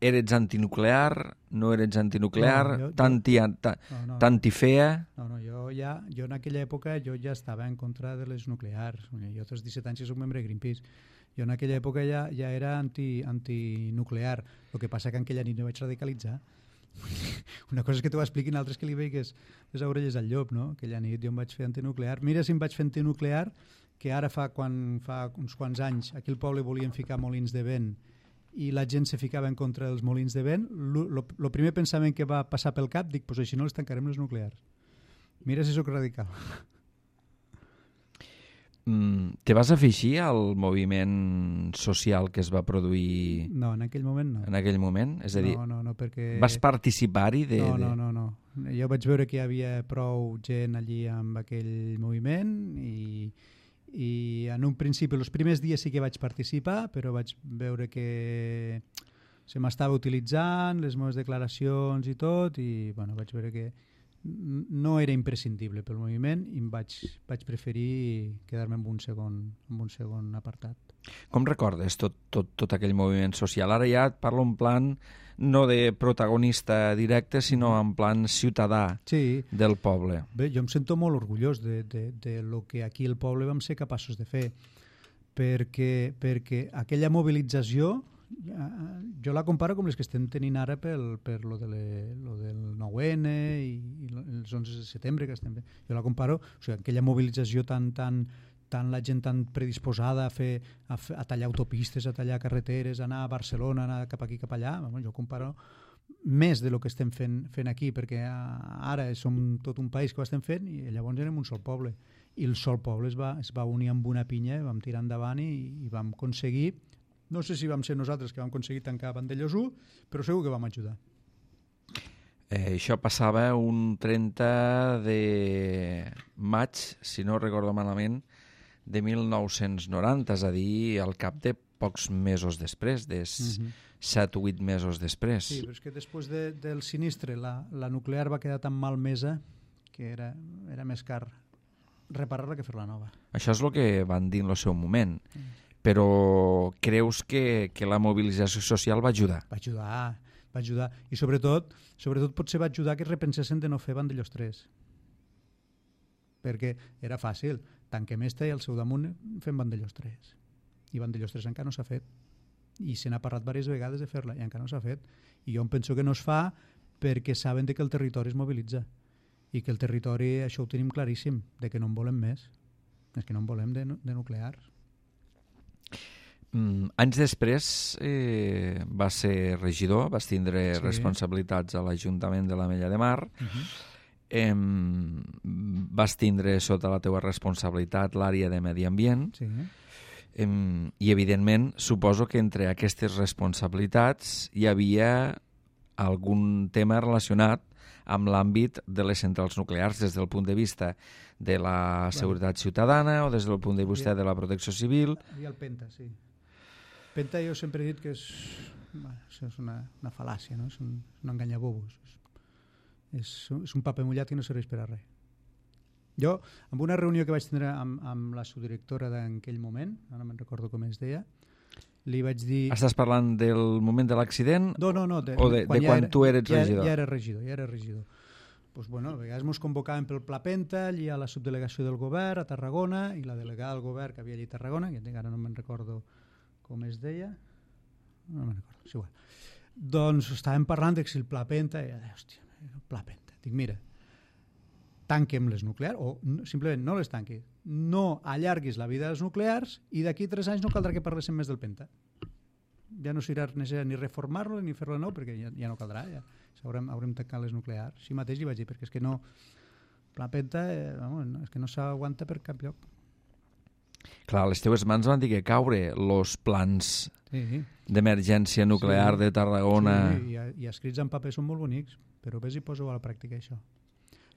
eres antinuclear, no eres antinuclear, no, jo, tanti, jo... ta, no, no, tantifea? No, no, jo ja jo en aquella època jo ja estava en contra de les nuclears. Jo als disset anys soc membre de Greenpeace. Jo en aquella època ja, ja era anti, antinuclear. El que passa que en aquella nit me vaig radicalitzar. Una cosa és que t'ho expliquin, altres que li veigues les orelles al llop, no? Aquella nit jo em vaig fer antinuclear. Mira si em vaig fer antinuclear, que ara fa, quan, fa uns quants anys aquí al poble volien ficar molins de vent i la gent se ficava en contra dels molins de vent. El primer pensament que va passar pel cap, dic, pues així no les tancarem les nuclears. Mira si sóc radical. Mm, te vas afegir al moviment social que es va produir... No, en aquell moment no. En aquell moment? És a dir, no, no, no, perquè... vas participar-hi? De, no, no, de... no, no. Jo vaig veure que hi havia prou gent allí amb aquell moviment i, i en un principi, els primers dies sí que vaig participar, però vaig veure que se m'estava utilitzant, les meves declaracions i tot, i bueno, vaig veure que no era imprescindible pel moviment i em vaig, vaig preferir quedar-me en un segon, en un segon apartat. Com recordes tot, tot, tot aquell moviment social? Ara ja et parlo en plan no de protagonista directe, sinó en plan ciutadà sí. del poble. Bé, jo em sento molt orgullós de, de, de lo que aquí al poble vam ser capaços de fer, perquè, perquè aquella mobilització jo la comparo com les que estem tenint ara pel, per lo, de le, lo del nou ene i, i els onze de setembre que estem fent. Jo la comparo, o sigui, aquella mobilització tan, tan, tan la gent tan predisposada a, fer, a, fer, a tallar autopistes, a tallar carreteres, a anar a Barcelona, a anar cap aquí, cap allà. Jo comparo més de lo que estem fent, fent aquí, perquè ara som tot un país que ho estem fent i llavors érem un sol poble. I el sol poble es va, es va unir amb una pinya, vam tirar endavant i, i vam aconseguir. No sé si vam ser nosaltres que vam aconseguir tancar Vandellòs u, però segur que vam ajudar. Eh, això passava un trenta de maig, si no recordo malament, de mil nou-cents noranta, és a dir, al cap de pocs mesos després, de uh-huh. set o vuit mesos després. Sí, però és que després de, del sinistre la, la nuclear va quedar tan malmesa que era, era més car reparar-la que fer-la nova. Això és el que van dir en el seu moment. Uh-huh. Però creus que, que la mobilització social va ajudar? Va ajudar, va ajudar. I sobretot, sobretot potser va ajudar que repensessin de no fer Vandellòs tres. Perquè era fàcil. Tanquem esta i al seu damunt fem Vandellòs tres. I Vandellòs tres encara no s'ha fet. I se n'ha parlat diverses vegades de fer-la i encara no s'ha fet. I jo em penso que no es fa perquè saben de que el territori es mobilitza. I que el territori, això ho tenim claríssim, de que no en volem més. És que no en volem de, de nuclears. Mm, anys després eh, va ser regidor, vas tindre sí. responsabilitats a l'Ajuntament de l'Ametlla de Mar, uh-huh. eh, vas tindre sota la teua responsabilitat l'àrea de medi ambient sí. eh, i evidentment suposo que entre aquestes responsabilitats hi havia algun tema relacionat amb l'àmbit de les centrals nuclears des del punt de vista de la seguretat ciutadana o des del punt de vista de la protecció civil. Hi havia el Penta, sí. Penta jo sempre he dit que és, bueno, és una, una fal·làcia, no? És un, un enganyabobos. És, és un paper mullat que no serveix per a res. Jo, en una reunió que vaig tindre amb, amb la subdirectora d'aquell moment, ara no me'n recordo com es deia, li vaig dir... Estàs parlant del moment de l'accident? No, no, no. De, o de quan, de quan era, tu eres ja, regidor? Ja era regidor, ja era regidor. Pues, bueno, a vegades ens convocaven pel Pla Penta, allí a la subdelegació del govern, a Tarragona, i la delegada del govern que havia allí a Tarragona, que ara no me'n recordo com es deia, no me'n recordo, és igual. Doncs estàvem parlant de si el Pla Penta, i deia, hòstia, el Pla Penta. Dic, mira, tanquem les nuclears, o no, simplement no les tanquis, no allarguis la vida dels nuclears i d'aquí tres anys no caldrà que parléssim més del Penta. Ja no serà necessari ni reformar-lo ni fer-lo de nou perquè ja, ja no caldrà, ja haurem, haurem tancat les nuclears. Així mateix li vaig dir, perquè és que no, la Penta eh, vamos, no, és que no s'aguanta per cap lloc. Clar, les teves mans van dir que caure els plans sí, sí. d'emergència nuclear sí, de Tarragona. Sí, i, i escrits en paper són molt bonics, però ves i poso a la pràctica això.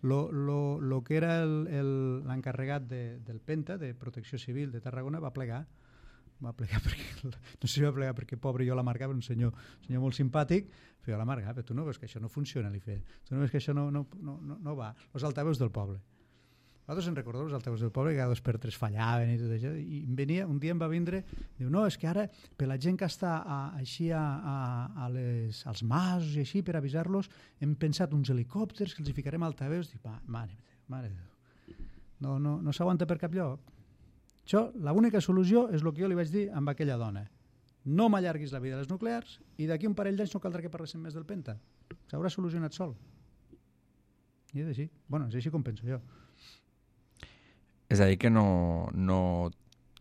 Lo, lo, lo que era l'encarregat de, del Penta, de Protecció Civil de Tarragona, va plegar. Va plegar perquè, no sé si va plegar perquè pobre jo l'amargava, un senyor, senyor molt simpàtic, però jo l'amargava, però tu no veus que això no funciona, li feia. Tu no veus que això no, no, no, no va. Els altaveus del poble. Vosaltres en recordeu els altaveus del poble, que cada dos per tres fallaven i tot això, i em venia, un dia em va vindre, diu, no, és que ara, per la gent que està a, així a, a, a les, als masos i així, per avisar-los, hem pensat uns helicòpters que els hi ficarem altaveus. Dic, mare, mare de Déu, no, no, no s'aguanta per cap lloc. Això, l'única solució és el que jo li vaig dir amb aquella dona. No m'allarguis la vida de les nuclears i d'aquí un parell d'anys no caldrà que parléssim més del Penta. S'haurà solucionat sol. I és així. Bueno, és així com penso jo. És a dir, que no, no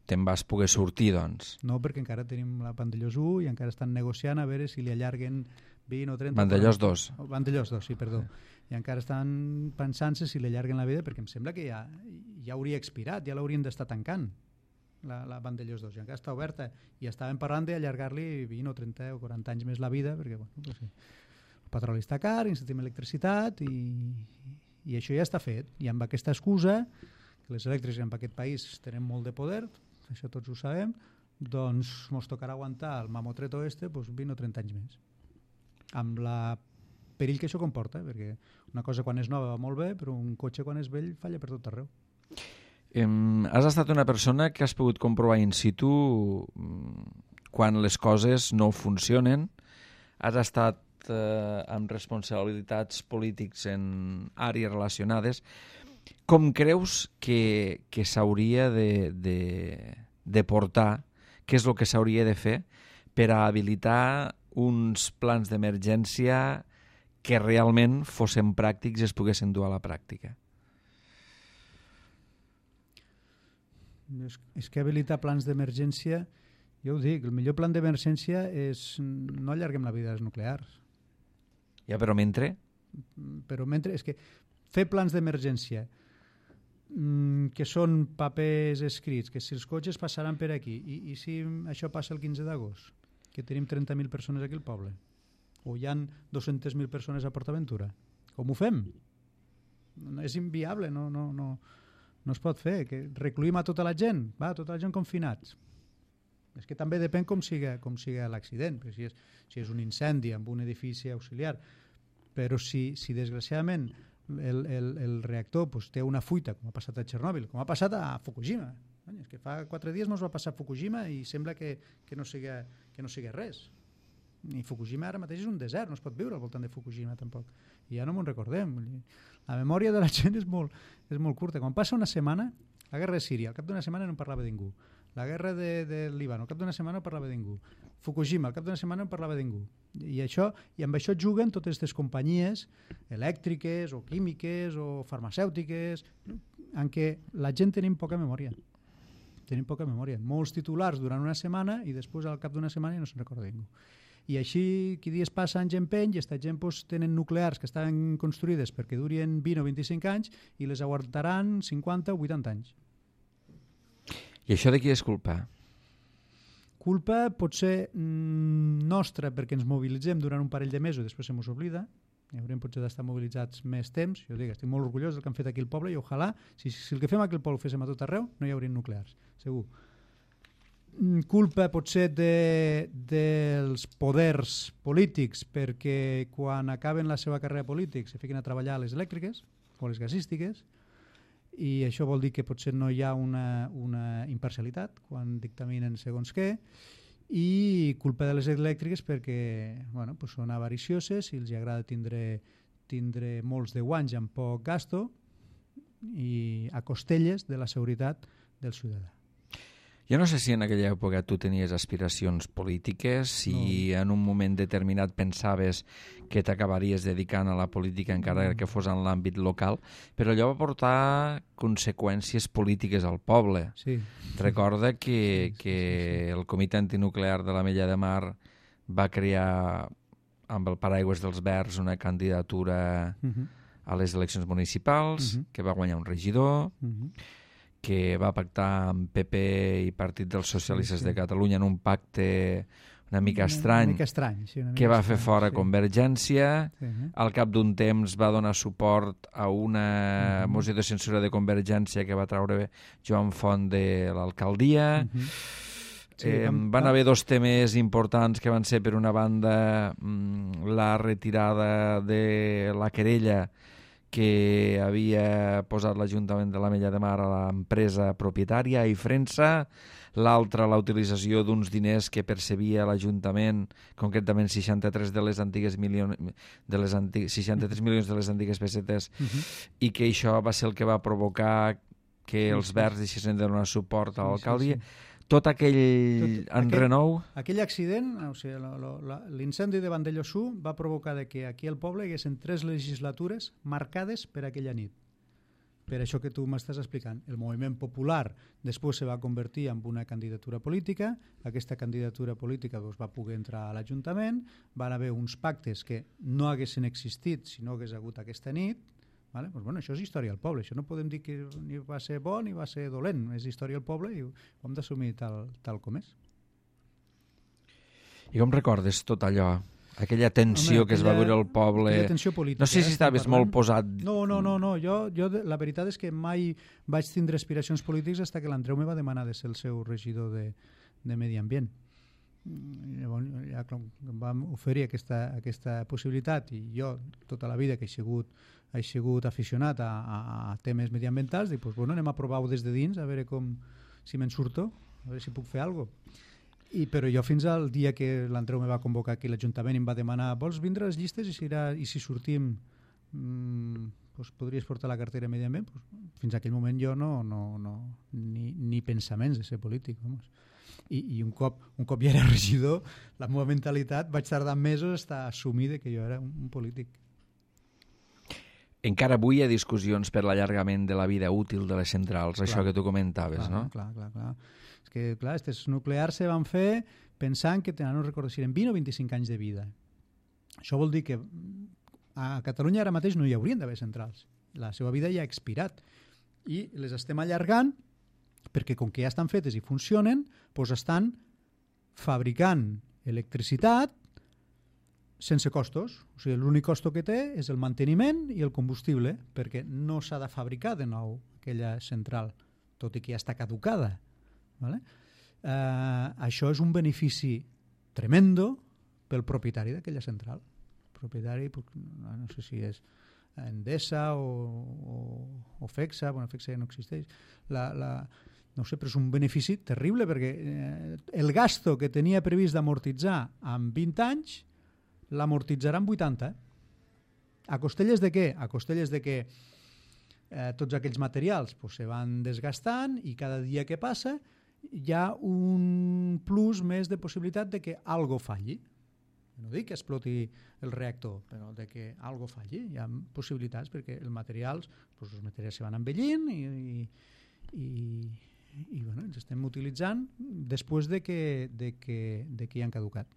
te'n vas poder sortir, doncs. No, perquè encara tenim la Vandellós u i encara estan negociant a veure si li allarguen vint o trenta... Vandellós dos. Vandellós dos, sí, perdó. I encara estan pensant-se si li allarguen la vida, perquè em sembla que ja, ja hauria expirat, ja l'haurien d'estar tancant, la, la Vandellós dos. I encara està oberta. I estàvem parlant d'allargar-li vint o trenta o quaranta anys més la vida, perquè bueno, no sé, el petroli està car, necessitem electricitat i, i això ja està fet. I amb aquesta excusa que les elèctriques en aquest país tenen molt de poder, això tots ho sabem, doncs ens tocarà aguantar el mamotreto este doncs vint o trenta anys més. Amb la perill que això comporta, perquè una cosa quan és nova va molt bé, però un cotxe quan és vell falla per tot arreu. Um, has estat una persona que has pogut comprovar in situ quan les coses no funcionen, has estat eh, amb responsabilitats polítics en àrees relacionades. Com creus que, que s'hauria de, de, de portar, què és el que s'hauria de fer per a habilitar uns plans d'emergència que realment fossin pràctics i es poguessin dur a la pràctica? És, és que habilitar plans d'emergència, jo ho dic, el millor plan d'emergència és no allarguem la vida dels nuclears. Ja, però mentre? Però mentre, és que fer plans d'emergència mmm, que són papers escrits, que si els cotxes passaran per aquí i, i si això passa el quinze d'agost, que tenim trenta mil persones aquí al poble, o hi ha dues-centes mil persones a PortAventura, com ho fem? No, és inviable, no, no, no, no es pot fer, que recluïm a tota la gent, va, tota la gent confinats. És que també depèn com siga, com siga l'accident, perquè si és, si és un incendi en un edifici auxiliar, però si, si desgraciadament el, el, el reactor pues, té una fuita, com ha passat a Txernòbil, com ha passat a Fukushima. És que fa quatre dies no es va passar a Fukushima i sembla que, que, no siga, que no siga res. I Fukushima ara mateix és un desert, no es pot viure al voltant de Fukushima tampoc. I ja no m'ho recordem. La memòria de la gent és molt, és molt curta. Quan passa una setmana, la guerra de Síria, al cap d'una setmana no en parlava ningú. La guerra de, de Líban, al cap d'una setmana no parlava ningú. Fukushima, al cap d'una setmana no parlava ningú. I, això, i amb això juguen totes aquestes companyies elèctriques o químiques o farmacèutiques en què la gent tenim poca memòria. Tenim poca memòria. Molts titulars durant una setmana i després al cap d'una setmana no se'n recorda ningú. I així, qui dies passa anys empeny i aquesta gent pues, tenen nuclears que estaven construïdes perquè durien vint o vint-i-cinc anys i les aguantaran cinquanta o vuitanta anys. I això de qui és culpa? Culpa pot ser mm, nostra perquè ens mobilitzem durant un parell de mesos i després se mos oblida. I hauríem potser d'estar mobilitzats més temps. Jo dic, estic molt orgullós del que han fet aquí al poble i ojalà, si, si el que fem aquí al poble ho féssim a tot arreu, no hi haurien nuclears, segur. culpa potser de, dels poders polítics, perquè quan acaben la seva carrera política se fiquen a treballar a les elèctriques o les gasístiques, i això vol dir que potser no hi ha una, una imparcialitat quan dictaminen segons què, i culpa de les elèctriques perquè bueno, pues són avaricioses i els agrada tindre, tindre molts de guanys amb poc gasto i a costelles de la seguretat del ciutadà. Jo no sé si en aquella època tu tenies aspiracions polítiques, si no. En un moment determinat pensaves que t'acabaries dedicant a la política encara no. que fos en l'àmbit local, però allò va portar conseqüències polítiques al poble. Sí. Recorda que, sí, sí, que sí, sí. el Comitè Antinuclear de l'Ametlla de Mar va crear amb el paraigües dels Verds una candidatura uh-huh. a les eleccions municipals, uh-huh. que va guanyar un regidor, uh-huh. que va pactar amb P P i Partit dels Socialistes sí, sí. de Catalunya en un pacte una mica estrany, una mica estrany sí, una mica que va estrany, fer fora sí. Convergència. Sí, eh? Al cap d'un temps va donar suport a una uh-huh. moció de censura de Convergència que va traure Joan Font de l'alcaldia. Uh-huh. Sí, eh, vam, van haver dos temes importants que van ser, per una banda, la retirada de la querella que havia posat l'Ajuntament de l'Ametlla de Mar a l'empresa propietària i Frensa, l'altra la utilització d'uns diners que percebia l'Ajuntament, concretament seixanta-tres de les antigues milions de les antigues, seixanta-tres milions de les antigues pessetes, uh-huh. i que això va ser el que va provocar que els sí, sí. Verds deixessin de donar suport a l'alcaldia. Sí, sí, sí. Tot aquell Tot, enrenou... Aquell, aquell accident, o sigui, l'incendi de Vandellosú va provocar que aquí al poble hi haguessin tres legislatures marcades per aquella nit. Per això que tu m'estàs explicant. El moviment popular després se va convertir en una candidatura política, aquesta candidatura política doncs, va poder entrar a l'Ajuntament, van haver uns pactes que no haguessin existit si no hagués hagut aquesta nit. Vale? Pues bueno, això és història del poble, això no podem dir que ni va ser bo ni va ser dolent, és història del poble i ho hem d'assumir tal, tal com és. I com recordes tot allò? Aquella tensió Home, que aquella, es va viure al poble... tensió política. No sé si estaves molt posat... No, no, no, no. Jo, jo la veritat és que mai vaig tindre aspiracions polítiques fins que l'Andreu me va demanar de ser el seu regidor de, de Medi Ambient. Llavors, ja em vam oferir aquesta, aquesta possibilitat i jo tota la vida que he sigut he sigut aficionat a, a, a temes mediambientals, dic, pues, bueno, anem a provar-ho des de dins, a veure com, si me'n surto, a veure si puc fer alguna cosa. I, però jo fins al dia que l'Andreu me va convocar aquí a l'Ajuntament i em va demanar, vols vindre a les llistes i si, era, i si sortim mmm, pues, podries portar la cartera de Medi Ambient? Pues, fins a aquell moment jo no, no, no ni, ni pensaments de ser polític, vamos. I, i un, cop, un cop ja era regidor, la meva mentalitat vaig tardar mesos a assumir que jo era un, un polític. Encara avui hi ha discussions per l'allargament de la vida útil de les centrals, clar, això que tu comentaves, clar, no? Clar, clar, clar. És que, clar, aquestes nuclears se van fer pensant que tenen, no recordo si eren vint o vint-i-cinc anys de vida. Això vol dir que a Catalunya ara mateix no hi haurien d'haver centrals. La seva vida ja ha expirat. I les estem allargant perquè com que ja estan fetes i funcionen, doncs estan fabricant electricitat sense costos. O sigui, l'únic costo que té és el manteniment i el combustible, perquè no s'ha de fabricar de nou aquella central, tot i que ja està caducada. Vale? Eh, això és un benefici tremendo pel propietari d'aquella central. El propietari, no sé si és Endesa o, o, o FEXA, bueno, FEXA ja no existeix, la, la, no sé, però és un benefici terrible, perquè eh, el gasto que tenia previst d'amortitzar en vint anys l'amortitzarà en vuitanta. A costelles de què? A costelles de que eh, tots aquells materials pues, se van desgastant i cada dia que passa hi ha un plus més de possibilitat de que algo falli. No dic que exploti el reactor, però de que algo falli. Hi ha possibilitats perquè els materials, pues, els materials se van envellint i, i, i, i bueno, els estem utilitzant després de que, de que, de que hi han caducat.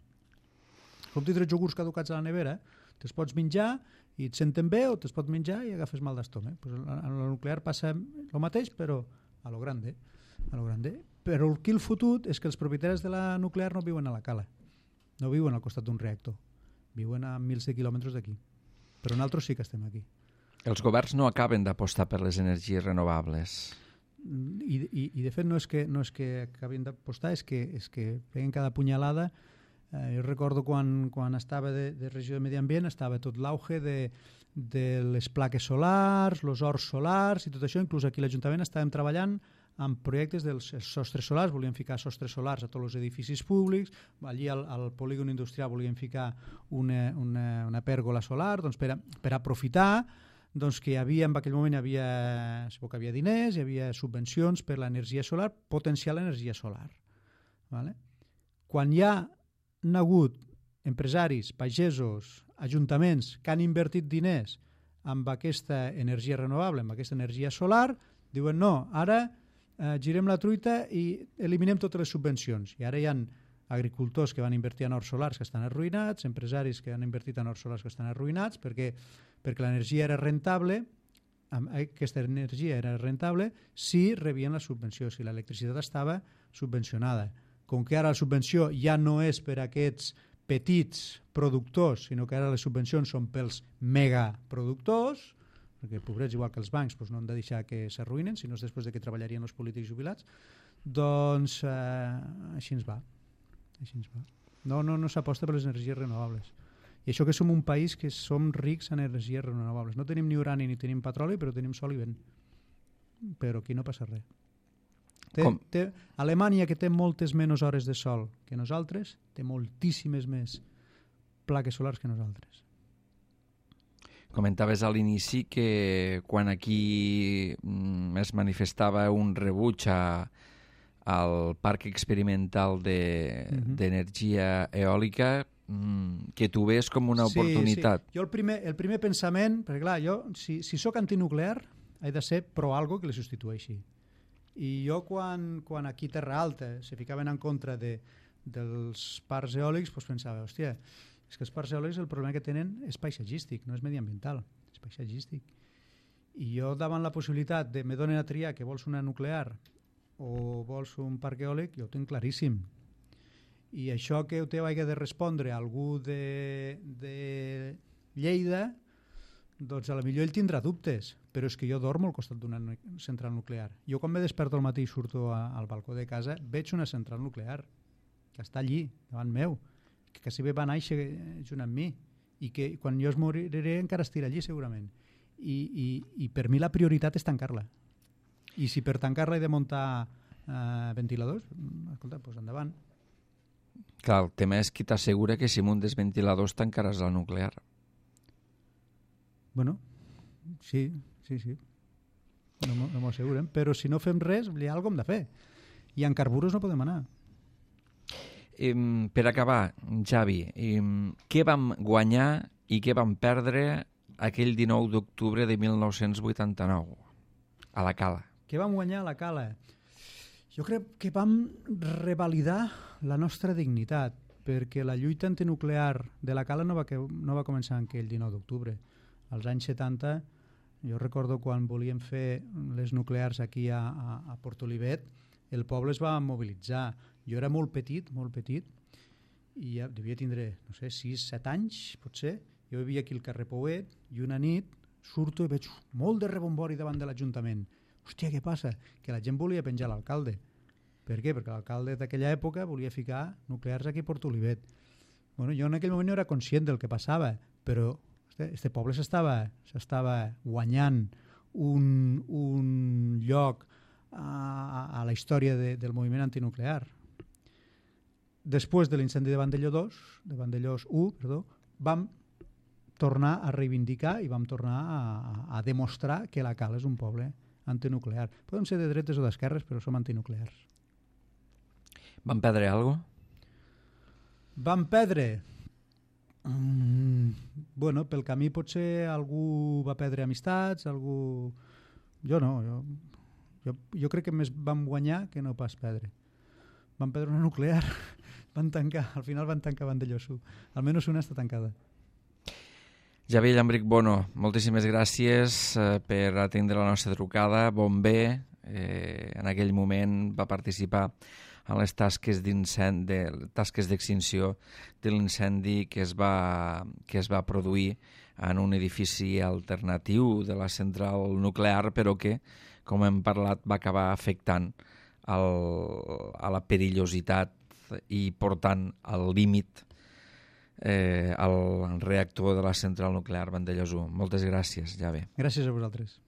Com tindre iogurts caducats a la nevera, te'ls pots menjar i et senten bé o te'ls pots menjar i agafes mal d'estómac. Pues en el nuclear passa el mateix, però a lo grande. A lo grande. Però el que el fotut és que els propietaris de la nuclear no viuen a la cala, no viuen al costat d'un reactor, viuen a mils de quilòmetres d'aquí. Però nosaltres sí que estem aquí. Els governs no acaben d'apostar per les energies renovables. i, i, i de fet no és que, no és que acabin d'apostar, és que, és que peguen cada punyalada. Eh, jo recordo quan, quan estava de, de regió de Medi Ambient, estava tot l'auge de, de les plaques solars, els horts solars i tot això. Inclús aquí a l'Ajuntament estàvem treballant amb projectes dels sostres solars, volíem ficar sostres solars a tots els edificis públics, allí al, al polígon industrial volíem ficar una, una, una pèrgola solar, doncs per, a, per aprofitar doncs que hi havia, en aquell moment hi havia, que havia diners, hi havia subvencions per l'energia solar, potenciar l'energia solar. Vale? Quan hi ha hagut empresaris, pagesos, ajuntaments que han invertit diners amb aquesta energia renovable, amb aquesta energia solar, diuen no, ara eh, girem la truita i eliminem totes les subvencions. I ara hi ha agricultors que van invertir en horts solars que estan arruïnats, empresaris que han invertit en horts solars que estan arruïnats perquè, perquè l'energia era rentable, aquesta energia era rentable si rebien la subvenció, si l'electricitat estava subvencionada. Com que ara la subvenció ja no és per a aquests petits productors, sinó que ara les subvencions són pels megaproductors, perquè pobrets, igual que els bancs, doncs no han de deixar que s'arruïnen, sinó és després de que treballarien els polítics jubilats, doncs eh, així ens va. Així ens va. No, no, no s'aposta per les energies renovables. I això que som un país que som rics en energies renovables. No tenim ni urani ni tenim petroli, però tenim sol i vent. Però aquí no passa res. Té, té, Alemanya, que té moltes menys hores de sol que nosaltres, té moltíssimes més plaques solars que nosaltres. Comentaves a l'inici que quan aquí mm, es manifestava un rebuig a, al parc experimental d'energia de, uh-huh. eòlica, mm, que tu ves com una sí, oportunitat. Sí. Jo el primer, el primer pensament, perquè clar, jo si, si sóc antinuclear he de ser pro algo que li substitueixi. I jo quan, quan aquí Terra Alta se ficaven en contra de, dels parcs eòlics, doncs pensava, hòstia, és que els parcs eòlics el problema que tenen és paisatgístic, no és mediambiental, és paisatgístic. I jo davant la possibilitat de me donen a triar que vols una nuclear o vols un parc eòlic, jo ho tinc claríssim. I això que ho hagi de respondre a algú de, de Lleida, doncs a la millor ell tindrà dubtes, però és que jo dormo al costat d'una central nuclear. Jo quan me desperto al matí i surto a, al balcó de casa, veig una central nuclear que està allí, davant meu, que quasi bé va néixer junt amb mi i que quan jo es moriré encara estirà allí segurament. I, i, i per mi la prioritat és tancar-la. I si per tancar-la he de muntar eh, ventiladors, escolta, doncs endavant. Clar, el tema és qui t'assegura que si muntes ventiladors tancaràs la nuclear. Bueno, sí, sí, sí. No, no m'ho asseguren, però si no fem res, hi ha alguna cosa hem de fer. I en carburos no podem anar. Eh, per acabar, Javi, eh, què vam guanyar i què vam perdre aquell dinou d'octubre de mil nou-cents vuitanta-nou a la Cala? Què vam guanyar a la Cala? Jo crec que vam revalidar la nostra dignitat, perquè la lluita antinuclear de la Cala no va, que, no va començar en aquell dinou d'octubre. Als anys setanta, jo recordo quan volíem fer les nuclears aquí a, a, a Portolivet, el poble es va mobilitzar. Jo era molt petit, molt petit, i ja devia tindre, no sé, sis, set anys, potser. Jo vivia aquí al carrer Pouet i una nit surto i veig molt de rebombori davant de l'Ajuntament. Hòstia, què passa? Que la gent volia penjar l'alcalde. Per què? Perquè l'alcalde d'aquella època volia ficar nuclears aquí a Portolivet. Bueno, jo en aquell moment no era conscient del que passava, però este poble s'estava s'estava guanyant un, un lloc a, a la història de, del moviment antinuclear. Després de l'incendi de Vandellós dos, de Vandellós u, perdó, vam tornar a reivindicar i vam tornar a, a demostrar que la Cala és un poble antinuclear. Podem ser de dretes o d'esquerres, però som antinuclears. Vam perdre alguna cosa? Vam perdre... Mm, bueno, pel camí potser algú va perdre amistats, algú... Jo no, jo, jo, jo crec que més vam guanyar que no pas perdre. Vam perdre una nuclear, van tancar, al final van tancar Vandellós u. Almenys una està tancada. Javier Llambric Bono, moltíssimes gràcies eh, per atendre la nostra trucada. Bomber, eh, en aquell moment va participar en les tasques d'incendi, de, tasques d'extinció de l'incendi que es va que es va produir en un edifici alternatiu de la central nuclear, però que, com hem parlat, va acabar afectant el, a la perillositat i portant al límit eh, el reactor de la central nuclear Vandellòs u. Moltes gràcies, Jave. Gràcies a vosaltres.